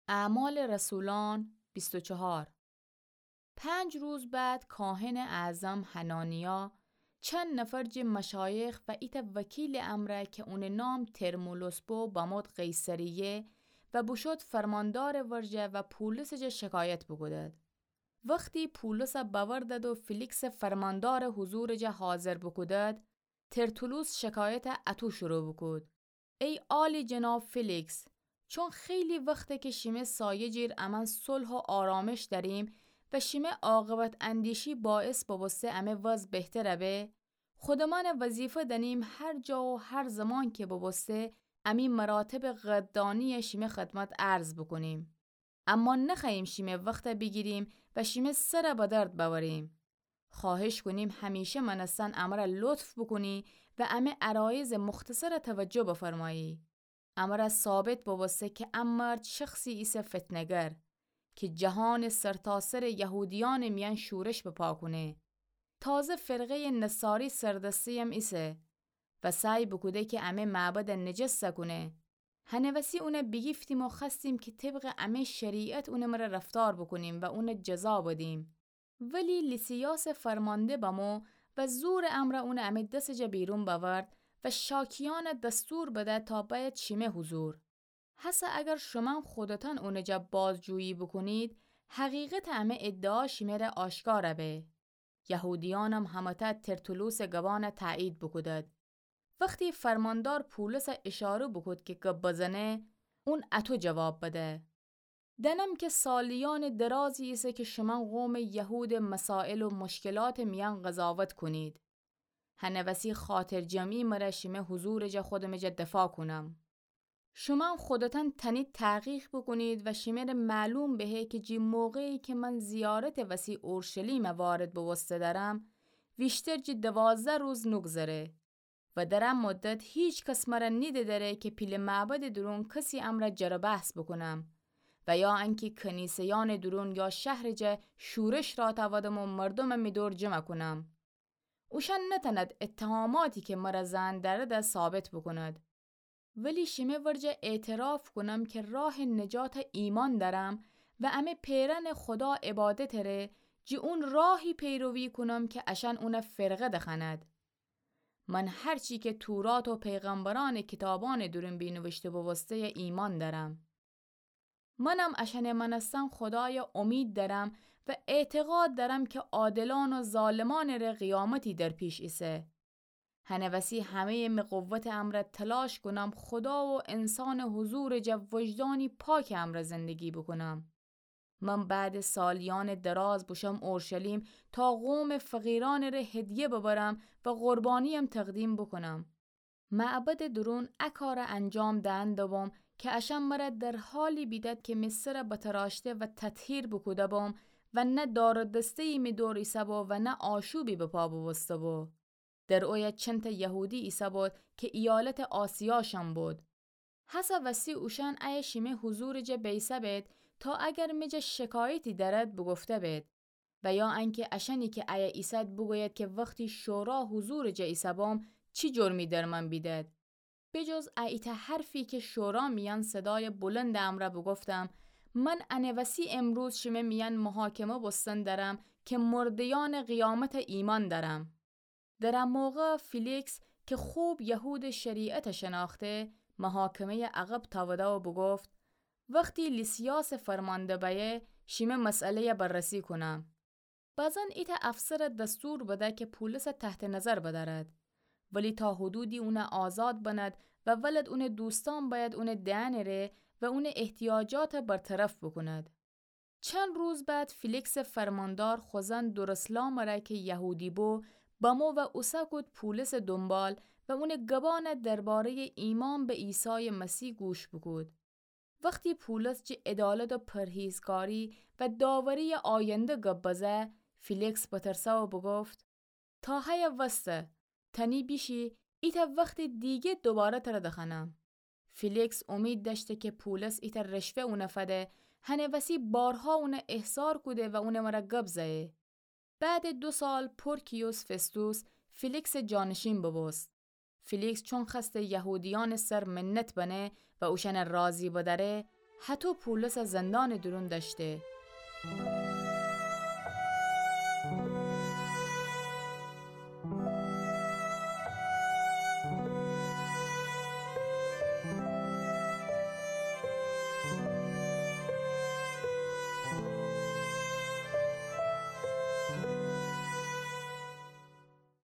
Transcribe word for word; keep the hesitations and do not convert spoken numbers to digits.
اعمال رسولان بیست و چهار. پنج روز بعد کاهن اعظم حنانیا، چند نفر جه مشایخ و ایتأ وکیل امرأ که اونٚ نام ترمولوس بو، بمود قیصریه و بوشود فرماندارٚ ورجه و پولسٚ جا شکایت بوکودد. وختی پولسَ بأوردد و فیلیکسٚ فرماندارٚ حضورٚ جا حاضر بوکودد، ترتولوس شکایتَ اطو شروع بوکود: ای عالی‌جناب فیلیکس، چون خیلی وخته که شیمه سایه جیر امأن صلح و آرامش دأریم و شیمه عاقبت‌اندیشی باعث بوبوسته امه وضع بهتر به، خودمأنَ وظیفه دأنیم هر جا و هر زمان که بوبوسته امی مراتبٚ قدردانیَ شیمه خدمت عرض بوکونیم. اما نخوأییم شیمه وختَ بیگیریم و شیمه سرَ به درد بأوریم. خواهش کونیم همیشه مأنستن امرَ لطف بوکونی و امه عرایضٚ مختصرَ توجه بفرمایی. امرَ ثابت بوبوسته که ا مرد شخصی ایسه فتنه‌گر که جهانٚ سرتاسرٚ یهودیأنٚ میأن شورش بپا کونه. تازه فرقه‌یٚ نصاری سردسته‌یم ایسه و سعی بوکوده که امه معبدَ نجس کونه. هنه وسی اونَ بیگیفتیم و خوأستیم که طبقٚ امه شریعت اونٚ مره رفتار بوکونیم و اونَ جزا بدیم. ولی لیسیاسٚ فرمانده بمو و زورٚ امرأ اونَ امه دسٚ جا بیرون بأورد و شاکیأنَ دستور بده تا بأید شیمه حضور. هسه اگر شومأن خودتأن اونٚ جا بازجویی بوکونید، حقیقتٚ امه ادعا شیمه ره آشکار به. یهودیأنم همه‌تأ ترتولوسٚ گبأنَ تأیید بوکودد. وختی فرماندار پولسَ اشاره بوکود که گب بزنه، اون اطو جواب بده: دأنم که سالیأنٚ درازی ایسه که شومأن قومٚ یهودٚ مسائل و مشکلاتٚ میأن قضاوت کونید. هنه وسی خاطرجمعی مره شیمه حضورٚ جا خودمٚ جا دفاع کونم. شومأن خودتأن تأنید تحقیق بوکونید و شیمه ره معلوم بهه که جی موقعی که من زیارتٚ وسی اورشلیمَ وارد بوبوسته دأرم، ویشتر جی دوازده روز نوگذره و در ا مدت هیچ کس مره نیده دأره که پیله معبدٚ دورون کسی امرأ جر و بحث بوکونم و یا انکه کنیسه‌یأنٚ دورون یا شهرٚ جا شورش راه تأودم و مردومَ می دور جمع کونم. اوشأن نتأند اتهاماتی که مره زئن دأرد ثابت بوکوند. ولی شیمه ورجه اعتراف کونم که راهٚ نجات ایمأن دأرم و امه پئرأنٚ خودا عبادتٚ ره جی اون راهی پیروی کونم که اشأن اونَ فرقه دخوأند. من هر چی که تورات و پیغمبرأنٚ کیتابأنٚ دورون بینویشته بوبوسته‌یَ ایمأن دأرم. منم اشأنٚ مأنستن خودایَ امید دأرم و اعتقاد دأرم که عادلأن و ظالمأنٚ ره قیامتی در پیش ایسه. هنه وسی همه‌یٚ می قوتٚ امرأ تلاش کونم خودا و انسانٚ حضورٚ جا وجدانی پاکٚ امرأ زندگی بوکونم. من بعدٚ سالیأنٚ دراز بوشوم اورشلیم تا قومٚ فقیرأنٚ ره هدیه ببرم و قربانی‌یم تقدیم بوکونم. معبدٚ دورون ا کارَ انجام دئن دوبوم که اشأن مره در حالی بیدد که می سرَ بتراشته و تطهیر بوکوده بوم و نه دار و دسته‌یی می دور ایسه بو و نه آشوبی بپا بوبوسته بو. در اویه چندتأ یهودی ایسه بود که ایالتٚ آسیاشأن بود. هسه وسی اوشأن ایه شیمه حضورٚ جا بیسه بید تا اگر می جا شکایتی دأرد بوگفته بید و یا انکه اشأنی که ایه ایسد بوگوید که وختی شورا حضورٚ جا ایسه بوم چی جرمی در من بیدد. بجز ا ایتأ حرفی که شورا میأن صدایٚ بلندٚ امرأ بوگفتم، من انه وسی امروز شیمه میأن محاکمه بوستن دأرم که مرده‌یأنٚ قیامتَ ایمأن دأرم. در ا موقع فیلیکس که خوب یهودٚ شریعتَ شنأخته، محاکمه‌یَ عقب تأوده و بوگفت: وختی لیسیاسٚ فرمانده بأیه، شیمه مسئله‌یَ بررسی کونم. بعضاً ایتأ افسرَ دستور بده که پولسَ تحتٚ نظر بدأرد، ولی تا حدودی اونَ آزاد بند و ولد اونٚ دوستأن بأید اونٚ دئنٚ ره و اونٚ احتیاجاتَ برطرف بوکوند. چند روز بعد فیلیکسٚ فرماندار خوزأن درسلامٚ ره که یهودی بو بمو و اوسه کود پولسٚ دونبال و اونٚ گبأنَ درباره‌یٚ ایمأن به عیسایٚ مسیح گوش بوکود. وختی پولس جٚه عدالت و پرهیزکاری و داوری‌یٚ آینده گب بزه، فیلیکس بترسه و بوگفت: تا هیه وسته، تأنی بیشی، ایتأ وختٚ دیگه دوباره تره دخوأنم. فیلیکس امید دأشته که پولس ایتأ رشوه اونَ فده، هنه وسی بارها اونَ احضار کوده و اونٚ مره گب زه‌یه. بعدٚ دو سال پورکیوس فستوس فیلیکسٚ جانشین بوبوست. فیلیکس چون خوأسته یهودیأنٚ سر منت بنه و اوشأنَ راضی بدأره، هطو پولسَ زندانٚ دورون دأشته.